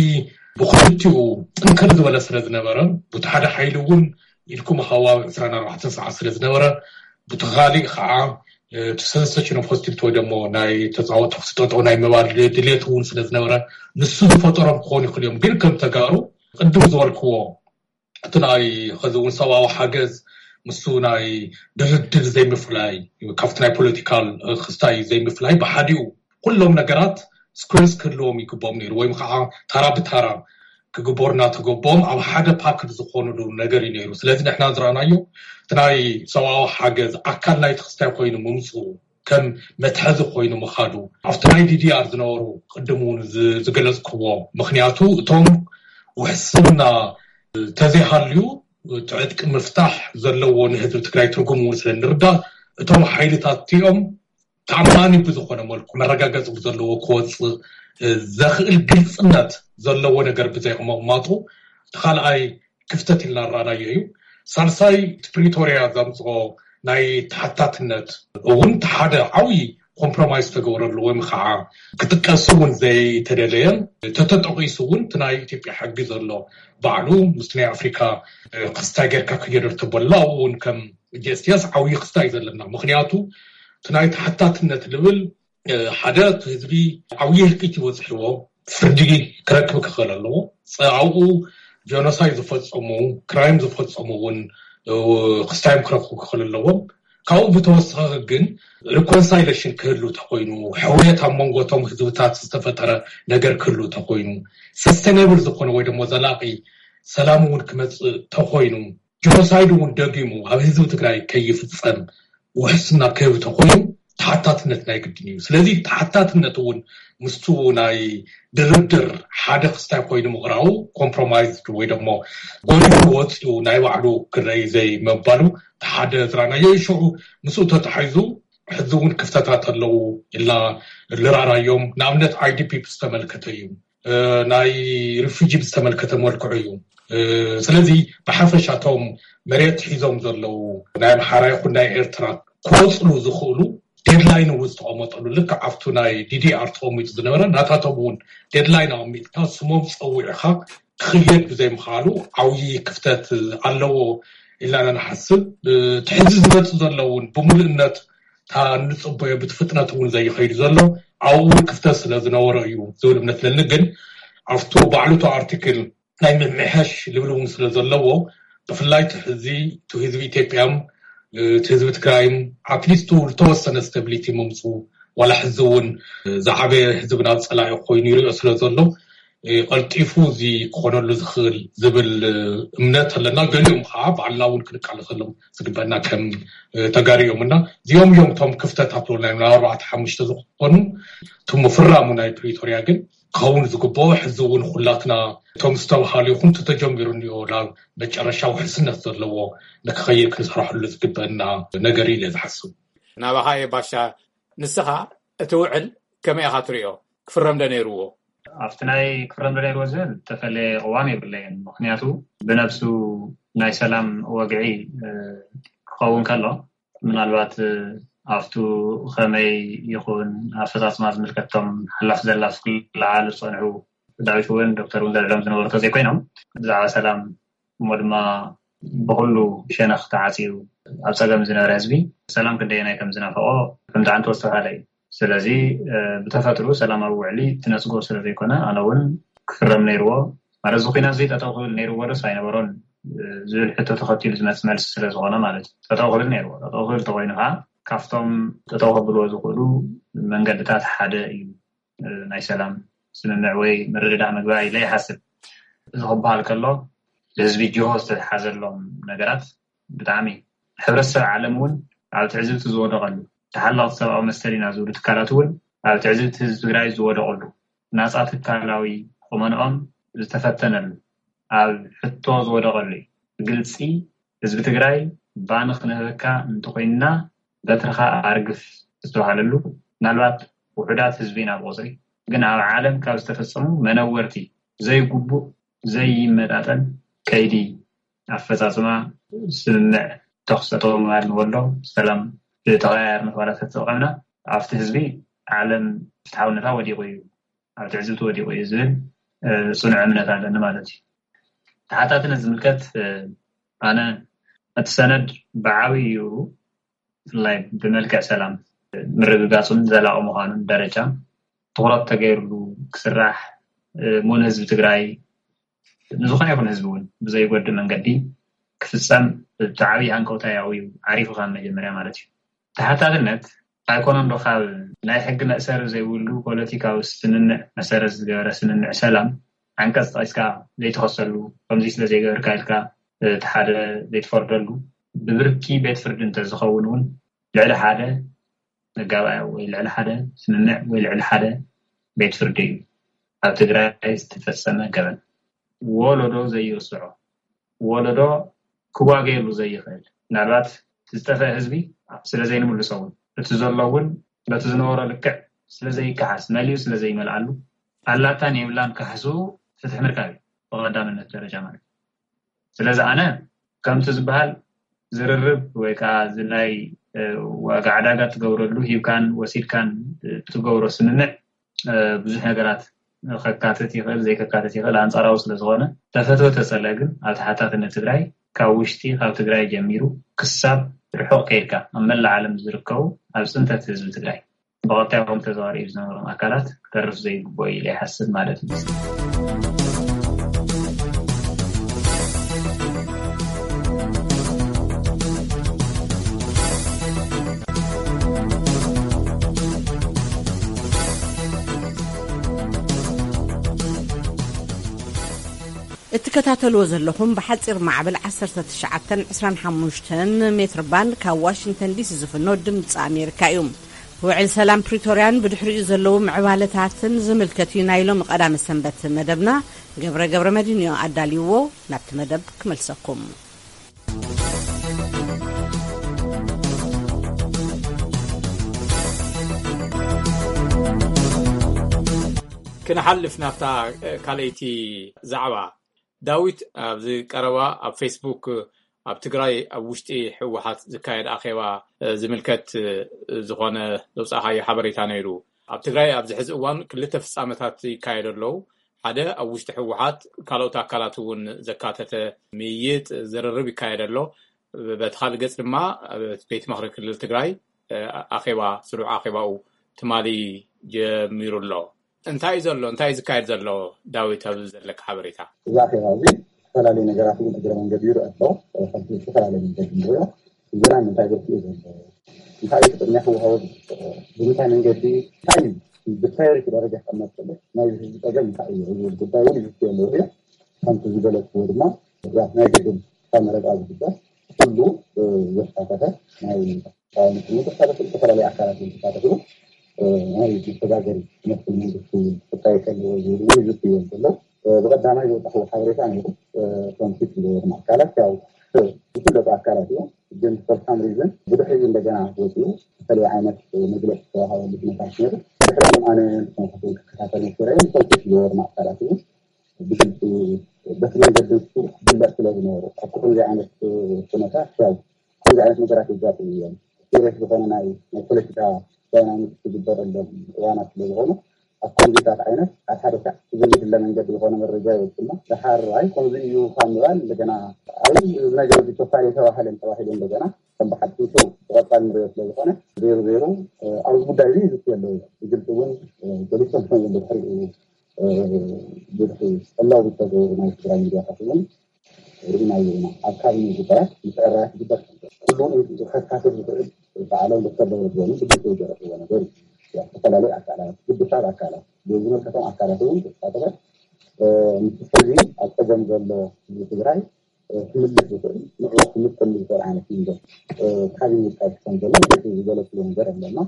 ብክልቲኡ ጥንክር ዝበለ ስለ ዝነበረ ብቲ ሓደ ሓይሊ እውን ኢልኩም ሃዋዊ ዕስራን ኣርባዕተን ሰዓት ስለ ዝነበረ ብቲ ካሊእ ከዓ እቲ ሰሰሽን ኦፍ ሆስቲሊቲ ወይ ደሞ ናይ ተፃወ ተኩሲ ጠጠው ናይ ምባል ድሌት እውን ስለ ዝነበረ ንሱ ዝፈጠሮም ክኾኑ ይኽእል እዮም። ግን ከም ተጋሩ ቅድም ዝበልክዎ እቲ ናይ ኸዚ እውን ሰብኣዊ ሓገዝ ምስ ናይ ድርድር ዘይምፍላይ ካብቲ ናይ ፖለቲካል ክስታይ ዘይምፍላይ ብሓዲኡ ኩሎም ነገራት ስኩንስ ክህልዎም ይግብኦም ነይሩ ወይም ከዓ ታራ ብታራ ክግበሩ እናተገበኦም ኣብ ሓደ ፓክድ ዝኾኑሉ ነገር እዩ ነይሩ። ስለዚ ንሕና ዝረኣናዮ እቲ ናይ ሰብኣዊ ሓገዝ ኣካል ናይቲ ክስታይ ኮይኑ ምምፅኡ ከም መትሐዚ ኮይኑ ምኻዱ ኣብቲ ናይ ዲዲኣር ዝነበሩ ቅድም እውን ዝገለፅክዎ ምክንያቱ እቶም ውሕስና ተዘይሃልዩ እቲ ዕጥቂ ምፍታሕ ዘለዎ ንህዝቢ ትግራይ ትርጉም እውን ስለ ንርዳእ እቶም ሓይልታት እቲኦም ተኣማኒ ብዝኾነ መልኩ መረጋገፂ ብዘለዎ ክወፅእ ዘኽእል ግልፅነት ዘለዎ ነገር ብዘይምቕማጡ እቲ ካልኣይ ክፍተት ኢልና ንረኣናዮ እዩ። ሳልሳይ እቲ ፕሪቶርያ ዘምፅኦ ናይ ተሓታትነት እውን እቲ ሓደ ዓብዪ ኮምፕሮማይዝ ዝተገበረሉ ወይም ከዓ ክጥቀስ እውን ዘይተደለየን ተተጠቂሱ እውን እቲ ናይ ኢትዮጵያ ሕጊ ዘሎ ባዕሉ ምስቲ ናይ ኣፍሪካ ክስታይ ጌርካ ክየደር ተበሎ ኣብኡ እውን ከም ጀስቲስ ዓብዪ ክስታይ ዘለና ምክንያቱ እቲ ናይ ተሓታትነት ልብል ሓደ እቲ ህዝቢ ዓብዪ ህልቂት ይበፅሕዎ ፍርዲ ክረክብ ክኽእል ኣለዎ። ኣብኡ ጀኖሳይድ ዝፈፀሙ ክራይም ዝፈፀሙ እውን ክስታዮም ክረኽቡ ክኽእል ኣለዎም። ካብኡ ብተወሳኺ ግን ሪኮንሳይሌሽን ክህሉ ተኮይኑ፣ ሕውየት ኣብ መንጎ እቶም ህዝብታት ዝተፈጠረ ነገር ክህሉ ተኮይኑ፣ ሰስቴናብል ዝኾነ ወይ ደሞ ዘላቂ ሰላም እውን ክመፅእ ተኮይኑ፣ ጀኖሳይድ እውን ደጊሙ ኣብ ህዝቢ ትግራይ ከይፍፀም ውሕስና ክህብ ተኮይኑ፣ ተሓታትነት ናይ ግድን እዩ። ስለዚ ተሓታትነት እውን ምስቱ ናይ ድርድር ሓደ ክስታይ ኮይኑ ምቕራቡ፣ ኮምፕሮማይዝ ወይ ደሞ ጎሊሑ ወፂኡ ናይ ባዕሉ ክረይ ዘይመባሉ ሓደ ዝራናዮ እዩ። ሽዑ ምስኡ ተታሒዙ ሕዚ እውን ክፍተታት ኣለዉ ኢልና ልራራዮም። ንኣብነት፣ ኣይዲፒ ዝተመልከተ እዩ፣ ናይ ሪፊጂ ዝተመልከተ መልክዑ እዩ። ስለዚ ብሓፈሻ እቶም መሬት ሒዞም ዘለዉ ናይ ኣምሓራ ይኹን ናይ ኤርትራ ክወፅሉ ዝኽእሉ ዴድላይን እውን ዝተቐመጠሉ፣ ልክዕ ኣብቱ ናይ ዲዲኣር ተቐሚጡ ዝነበረ፣ ናታቶም እውን ዴድላይን ኣቐሚጥካ ስሞም ፀዊዕካ ክኽየድ ብዘይምኽኣሉ ዓብዪ ክፍተት ኣለዎ ኢልና ንሓስብ። እቲ ሕዚ ዝመፅእ ዘሎ እውን ብምሉእነት እታ እንፅበዮ ብቲ ፍጥነት እውን ዘይኸይዱ ዘሎ ኣብኡ እውን ክፍተት ስለ ዝነበሮ እዩ ዝብል እምነት ኣለኒ። ግን ኣብቱ ባዕሉቱ ኣርቲክል ናይ ምምሕያሽ ልብል እውን ስለ ዘለዎ፣ ብፍላይ እቲ ሕዚ እቲ ህዝቢ ኢትዮጵያን እቲ ህዝቢ ትግራይን ኣትሊስቱ ዝተወሰነ ስታቢሊቲ ምምፅኡ፣ ዋላ ሕዚ እውን ዝዓበየ ህዝቢ ናብ ፀላኢ ኮይኑ ይሪኦ ስለ ዘሎ፣ ቀልጢፉ እዚ ክኾነሉ ዝኽእል ዝብል እምነት ኣለና። ገሊኦም ከዓ ባዕልና እውን ክንቃለሰሎም ዝግበአና ከም ተጋሩ እዮም እና እዚኦም እዮም እቶም ክፍተታት ናይ ኣርባዕተ ሓሙሽተ ዝኾኑ። እቲ ምፍራሙ ናይ ፕሪቶርያ ግን ክኸውን ዝግብኦ፣ ሕዚ እውን ኩላትና እቶም ዝተባሃሉ ይኹን እቲ ተጀሚሩ እኒኦ ናብ መጨረሻ ውሕስነት ዘለዎ ንክኸይድ ክንሰርሐሉ ዝግበአና ነገር እዩ ኢለ ዝሓስብ። ናባኻ እየ ባሻ፣ ንስኻ እቲ ውዕል ከመይ ኢኻ ትሪኦ? ክፍረም ዶ ነይርዎ? ኣብቲ ናይ ክፍረም ዶ ነይርዎ ዝብል ዝተፈለየ ቅዋም የብለይን። ምኽንያቱ ብነብሱ ናይ ሰላም ወግዒ፣ እ፣ ክኸውን ከሎ፣ ምናልባት፣ እ፣ ኣብቱ ከመይ ይኹን ኣፈጻጽማ ዝምልከቶም ሓላፍ ዘላፍ ክለዓሉ ዝጸንሑ ዳዊት እውን ዶክተር እውን ዘልዕሎም ዝነበሩ ተዘይኮይኖም፣ ብዛዕባ ሰላም እሞ ድማ ብኹሉ ሸነኽ ተዓጽዩ ኣብ ጸገም ዝነበረ ህዝቢ ሰላም ክንደየናይ ከም ዝናፈቆ ከም ጣዕንቶ ዝተኻለ እዩ። ስለዚ፣ እ፣ ብተፈጥሩ ሰላማዊ ውዕሊ ትነጽጎ ስለ ዘይኮነ፣ ኣነ እውን ክፍረም ነይርዎ። ማለት፣ እዚ ኲናት እዚ ጠጠው ክብል ነይርዎ ዶስ ኣይነበሮን፣ እ፣ ዝብል ሕቶ ተኸቲሉ ዝመጽእ መልሲ ስለ ዝኾነ ማለት እዩ። ጠጠው ክብል ነይርዎ። ጠጠው ክብል ተኾይኑ ከዓ ካብቶም ጠጠው ከብልዎ ዝኽእሉ መንገድታት ሓደ እዩ፣ እ፣ ናይ ሰላም ስምምዕ ወይ ምርድዳእ ምግባር ኢለ ይሓስብ። እዚ ክበሃል ከሎ፣ ብህዝቢ ጅሆ ዝተተሓዘሎም ነገራት ብጣዕሚ ሕብረተሰብ ዓለም እውን ኣብ ትዕዝብቲ ዝወደቐሉ፣ ተሓለቕቲ ሰብኣዊ መሰል ኢና ዝብሉ ትካላት እውን ኣብ ትዕዝብቲ ህዝቢ ትግራይ ዝወደቐሉ፣ ናፃ ትካላዊ ቁመንኦም ዝተፈተነሉ፣ ኣብ ሕቶ ዝወደቐሉ እዩ። ብግልፂ ህዝቢ ትግራይ ባኒ ክንህበካ እንተኾይንና በትርኻ ኣርግፍ ዝተባሃለሉ፣ ምናልባት ውሑዳት ህዝቢ ኢና ብቁፅሪ፣ ግን ኣብ ዓለም ካብ ዝተፈፀሙ መነወርቲ ዘይግቡእ ዘይመጣጠን ከይዲ ኣፈፃፅማ ስምምዕ ተኹሲ ጠጠው ምባል ንወሎ ሰላም ብተቐያየርና ተባላት ተጠቐምና ኣብቲ ህዝቢ ዓለም ፍትሓውነታ ወዲቑ እዩ፣ ኣብ ትዕዝብቲ ወዲቑ እዩ ዝብል፣ እ፣ ፅኑዕ እምነት ኣለኒ ማለት እዩ። ተሓታትነት ዝምልከት፣ እ፣ ኣነ እቲ ሰነድ ብዓብዩ ብፍላይ ብመልክዕ ሰላም ምርግጋፁን ዘላቒ ምዃኑን ደረጃ ትኹረት ተገይርሉ ክስራሕ፣ እ፣ እሞ ንህዝቢ ትግራይ ንዝኾነ ይኹን ህዝቢ እውን ብዘይጎድእ መንገዲ ክፍፀም እቲ ዓብዪ ሃንቀውታ እዩ ዓሪፉ ካብ መጀመርያ ማለት እዩ። ተሓታትነት ኣይኮነን ዶ ካብ ናይ ሕጊ መእሰሪ ዘይብሉ ፖለቲካዊ ስምምዕ መሰረት ዝገበረ ስምምዕ ሰላም ዓንቀፅ ጠቒስካ ዘይትኸሰሉ፣ ከምዚ ስለ ዘይገበርካ ኢልካ እቲ ሓደ ዘይትፈርደሉ፣ ብብርኪ ቤት ፍርዲ እንተዝኸውን እውን ልዕሊ ሓደ መጋባእያ ወይ ልዕሊ ሓደ ስምምዕ ወይ ልዕሊ ሓደ ቤት ፍርዲ እዩ ኣብ ትግራይ ዝተፈጸመ ገበን። ወለዶ ዘይርስዖ፣ ወለዶ ክዋገየሉ ዘይኽእል፣ ምናልባት እቲ ዝጠፍአ ህዝቢ ስለ ዘይንምልሶ እውን፣ እቲ ዘሎ እውን በቲ ዝነበሮ ልክዕ ስለ ዘይከሓስ፣ መሊኡ ስለ ዘይመልኣሉ፣ ኣላታን የብላን ካሕሱ ፍትሒ ምርካብ እዩ ብቐዳምነት ደረጃ ማለት እዩ። ስለዚ ኣነ ከምቲ ዝበሃል ዝርርብ ወይ ከዓ እዚ ናይ፣ እ፣ ዋጋ ዕዳጋ ትገብረሉ፣ ሂብካን ወሲድካን፣ እ፣ ትገብሮ ስምምዕ፣ እ፣ ብዙሕ ነገራት ከካትት ይኽእል፣ ዘይከካትት ይኽእል፣ ኣንጻራዊ ስለ ዝኾነ ተፈትወ ተጸልአ ግን ኣብ ተሓታትነት ትግራይ ካብ ውሽጢ ካብ ትግራይ ጀሚሩ ክሳብ ርሑቕ ከይድካ ኣብ መላእ ዓለም ዝርከቡ ኣብ ጽንተት ህዝቢ ትግራይ ብቐጥታ ይኹን ብተዘዋዋሪ ዝነበሮም ኣካላት ክተርፍ ዘይግብኦ ኢለ ይሓስብ ማለት እዩ። ትከታተልዎ ዘለኹም ብሓጺር ማዕበል ዓሰርተ ትሽዓተን ዕስራን ሓሙሽተን ሜትር ባንድ ካብ ዋሽንግተን ዲሲ ዝፍኖ ድምጺ ኣሜሪካ እዩ። ውዕል ሰላም ፕሪቶርያን ብድሕሪኡ ዘለዉ ምዕባለታትን ዝምልከት እዩ ናይ ሎሚ ቀዳመ ሰንበት መደብና። ገብረ ገብረ መድህን እዩ ኣዳልይዎ። ናብቲ መደብ ክመልሰኩም። ክንሓልፍ ናብታ ካልኣይቲ ዛዕባ። ዳዊት፣ ኣብዚ ቀረባ ኣብ ፌስቡክ ኣብ ትግራይ ኣብ ውሽጢ ህወሓት ዝካየድ ኣኼባ፣ እ፣ ዝምልከት፣ እ፣ ዝኾነ ዘውጻእካዮ ሓበሬታ ነይሩ። ኣብ ትግራይ ኣብዚ ሕዚ እዋን ክልተ ፍጻመታት ይካየዱ ኣለዉ። ሓደ ኣብ ውሽጢ ህወሓት ካልኦት ኣካላት እውን ዘካተተ ምይይጥ፣ ዝርርብ ይካየድ ኣሎ። በቲ ካልእ ገጽ ድማ ኣብ ቤት ምኽሪ ክልል ትግራይ፣ እ፣ ኣኼባ፣ ስሩዕ ኣኼባኡ ትማሊ ጀሚሩ ኣሎ። እንታይ እዩ ዘሎ? እንታይ እዩ ዝካየድ ዘሎ? ዳዊት፣ ኣብዚ ዘለካ ሓበሬታ። እዚ ኣኼባ እዚ ዝተፈላለዩ ነገራት እውን እግረ መንገዲ ይርአ ኣሎ። ከምቲ ዝተፈላለየ መንገዲ ንሪኦ፣ እዚ ናይ ምንታይ ገጽ እዩ ዘሎ? እንታይ እዩ ቅድሚያ ክወሃቦ ዝግብኦ? ብምንታይ መንገዲ? እንታይ እዩ ብፕራዮሪቲ ደረጃ ክቕመጥ ዘሎ? ናይ ህዝቢ ጸገም እንታይ እዩ? ዝብል ጉዳይ እውን ይዝትዮ ኣለዉ እዮም። ከምቲ ዝገለጽዎ ድማ፣ ያ ናይ ግድን ካብ መረጻ ዝግበር ኩሉ፣ እ፣ ዘሳተፈ ናይ ተቃዋሚ ክልል ተሳተፉ፣ ዝተፈላለዩ ኣካላት እውን ተሳተፉ። እ፣ ናይ መሰጋገሪ ክመስል መንግስቲ ክጣየሽ ኣለዎ ዝብል እውን ይዝትዮ ዘሎ። እ፣ ብቐዳማይ ዘውጣሕዎ ሓበሬታ ነይሩ። እ፣ እቶም ፊት ዝገበሩ ኣካላት ያው፣ እ፣ ዝፍለጡ ኣካላት እዮም። ግን for some reason ብድሕሪኡ እንደገና ወፂኡ ዝተለየ ዓይነት መግለፂ ዝተዋሃበሉ ኩነታት ነይሩ። ድሕሪኡ ኣነ ንኩነታት እውን ክከታተል ነይረ። እቶም ፊት ዝገበሩ ኣካላት እውን ብግልፂ በቲ መንገዲ ንሱ ክፍለጥ ስለ ዝነበሩ፣ ኣብ ከምዚ ዓይነት ኩነታት ያው ከምዚ ዓይነት ነገራት የጋጥሙ እዮም። ሲሪየስ ዝኾነ ናይ፣ ናይ ፖለቲካ ዳይናሚክስ ዝግበረሎም እዋናት ስለ ዝኾኑ፣ ኣብ ከምዚታት ዓይነት ኣብ ሓደ ሳዕ ብዘይድለ መንገዲ ዝኾነ መረጃ ይወፅና። ደሓር ኣይ ከምዚ እዩ ካብ ምባል እንደገና ኣይ እዚ ነገር እዚ ተሳርዩ ተባህለን ተባሂሉ እንደገና ከም ብሓቂ ሾው ብቐፃል ንሪኦ ስለ ዝኾነ ዜሮ ዜሮ፣ እ፣ ኣብዚ ጉዳይ እዚ ይዝትዮ ኣለዉ እዮም። ብግልፂ እውን፣ እ፣ ገሊሶም እዮም ብድሕሪኡ፣ እ፣ ብድሕሪ ዕላዊ ዝተገበሩ ናይ ትግራይ ሚድያታት እውን ርኢናዮ ኢና። ኣብ ካቢኔ ጉዳያት ምትዕርራያት ይግበር ከም ዘሎ። ኩሉ ከካትት ዝኽእል በዓሎም ዶክተር ደብረጽዮን ብግልፂ ዝገለፅዎ ነገር እዩ። ያው ዝተፈላለዩ ኣካላት፣ ግዱሳት ኣካላት፣ ዝመልከቶም ኣካላት እውን ዝተሳተፈ፣ እ፣ ምስ ሕዚ ኣብ ፀገም ዘሎ ህዝቢ ትግራይ፣ እ፣ ክምልስ ዝኽእል፣ ንዕኡ ክምጥል ዝኽእል ዓይነት መንገዲ፣ እ፣ ካቢኔ ይካየድ ከም ዘሎ ብግልፂ ዝገለፅዎ ነገር ኣለና።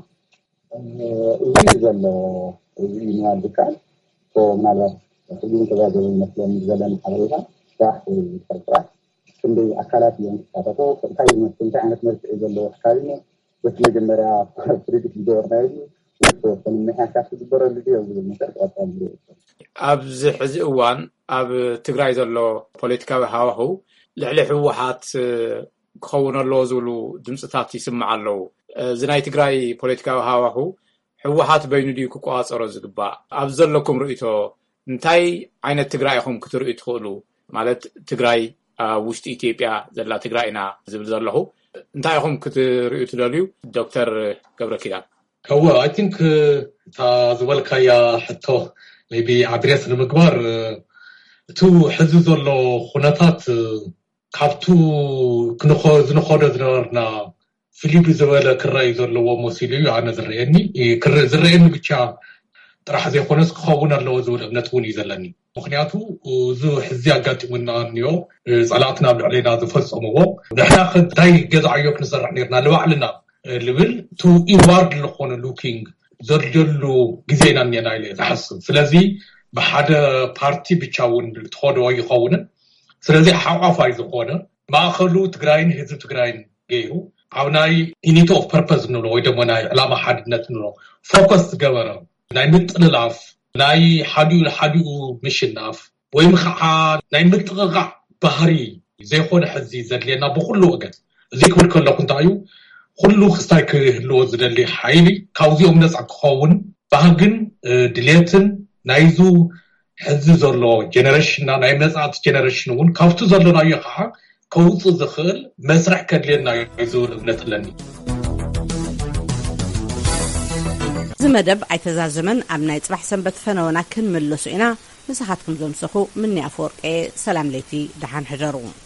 እዚ እዩ ዘሎ። እዚ እዩ ምባል ዝከኣል። ሶ፣ ምናልባት ሕጂ እውን ተጋገበ ይመስለኒ፣ ዘለኒ ሓበሬታ ስራሕ ወይ ስራሕ ስራሕ ክንደይ ኣካላት እዮም ዝሳተፉ፣ እንታይ ይመስል፣ እንታይ ዓይነት መልክዕ እዩ ዘለዎ እቲ ካቢነ፣ በቲ መጀመርያ ፕሪዲክት ዝገበርናዮ ድዩ፣ ወይ ዝተወሰኑ ምምሕያሻት ክግበረሉ ድዩ ኣብ ዝብል ነገር ብቐጻሊ ንሪኦ። ኣብዚ ሕዚ እዋን ኣብ ትግራይ ዘሎ ፖለቲካዊ ሃዋህው ልዕሊ ህወሓት ክኸውን ኣለዎ ዝብሉ ድምፅታት ይስማዕ ኣለዉ። እዚ ናይ ትግራይ ፖለቲካዊ ሃዋህው ህወሓት በይኑ ድዩ ክቆፃፀሮ ዝግባእ? ኣብ ዘለኩም ርእይቶ እንታይ ዓይነት ትግራይ ኢኹም ክትርእዩ ትኽእሉ? ማለት ትግራይ ኣብ ውሽጢ ኢትዮጵያ ዘላ ትግራይ ኢና ዝብል ዘለኹ። እንታይ ኢኹም ክትርእዩ ትደልዩ? ዶክተር ገብረ ኪዳን። እወ፣ I think፣ እታ ዝበልካያ ሕቶ maybe ኣድሬስ ንምግባር፣ እቲ ሕዚ ዘሎ ኩነታት ካብቱ ክንኸ-፣ ዝንኸዶ ዝነበርና ፍልይ ብዝበለ ክረኣይ ዘለዎ መሲሉ እዩ ኣነ ዝረኣየኒ። ክረ-፣ ዝረኣየኒ ብቻ ጥራሕ ዘይኮነስ ክኸውን ኣለዎ ዝብል እምነት እውን እዩ ዘለኒ። ምኽንያቱ እዚ ሕዚ ኣጋጢሙና እኒኦ ጸላእትና ኣብ ልዕሌና ዝፈጸምዎ ንሕና ከ እንታይ ገዛዕዮ ክንሰርሕ ነርና ንባዕልና ልብል to inward ዝኾነ looking ዘድልየሉ ግዜ ኢና እኒአና ኢለ እየ ዝሓስብ። ስለዚ ብሓደ ፓርቲ ብቻ እውን ትኸዶ ኣይኸውንን። ስለዚ ሓቋፋይ ዝኾነ ማእኸሉ ትግራይን ህዝቢ ትግራይን ገይሩ ኣብ ናይ unity of purpose ንብሎ ወይ ደሞ ናይ ዕላማ ሓድነት ንብሎ ፎከስ ዝገበረ ናይ ምጥልላፍ ናይ ሓዲኡ ንሓዲኡ ምሽናፍ ወይም ከዓ ናይ ምጥቕቓዕ ባህሪ ዘይኮነ ሕዚ ዘድልየና ብኩሉ ወገን። እዚ ክብል ከለኹ እንታይ እዩ ኩሉ ክስታይ ክህልዎ ዝደሊ ሓይሊ ካብዚኦም ነፃ ክኸውን ባህግን ድልየትን ናይዙ ሕዚ ዘሎ ጀነሬሽንና ናይ መፃእቲ ጀነሬሽን እውን ካብቲ ዘለናዮ ከዓ ከውፅእ ዝኽእል መስርሕ ከድልየና እዩ ዝብል እምነት ኣለኒ። እዚ መደብ ኣይተዛዘመን። ኣብ ናይ ፅባሕ ሰንበት ፈነወና ክንምለሶ ኢና። ምሳኻትኩም ዘምሰኹ ምኒ ኣፈወርቂ። ሰላም ለይቲ፣ ደሓን ሕደሩ።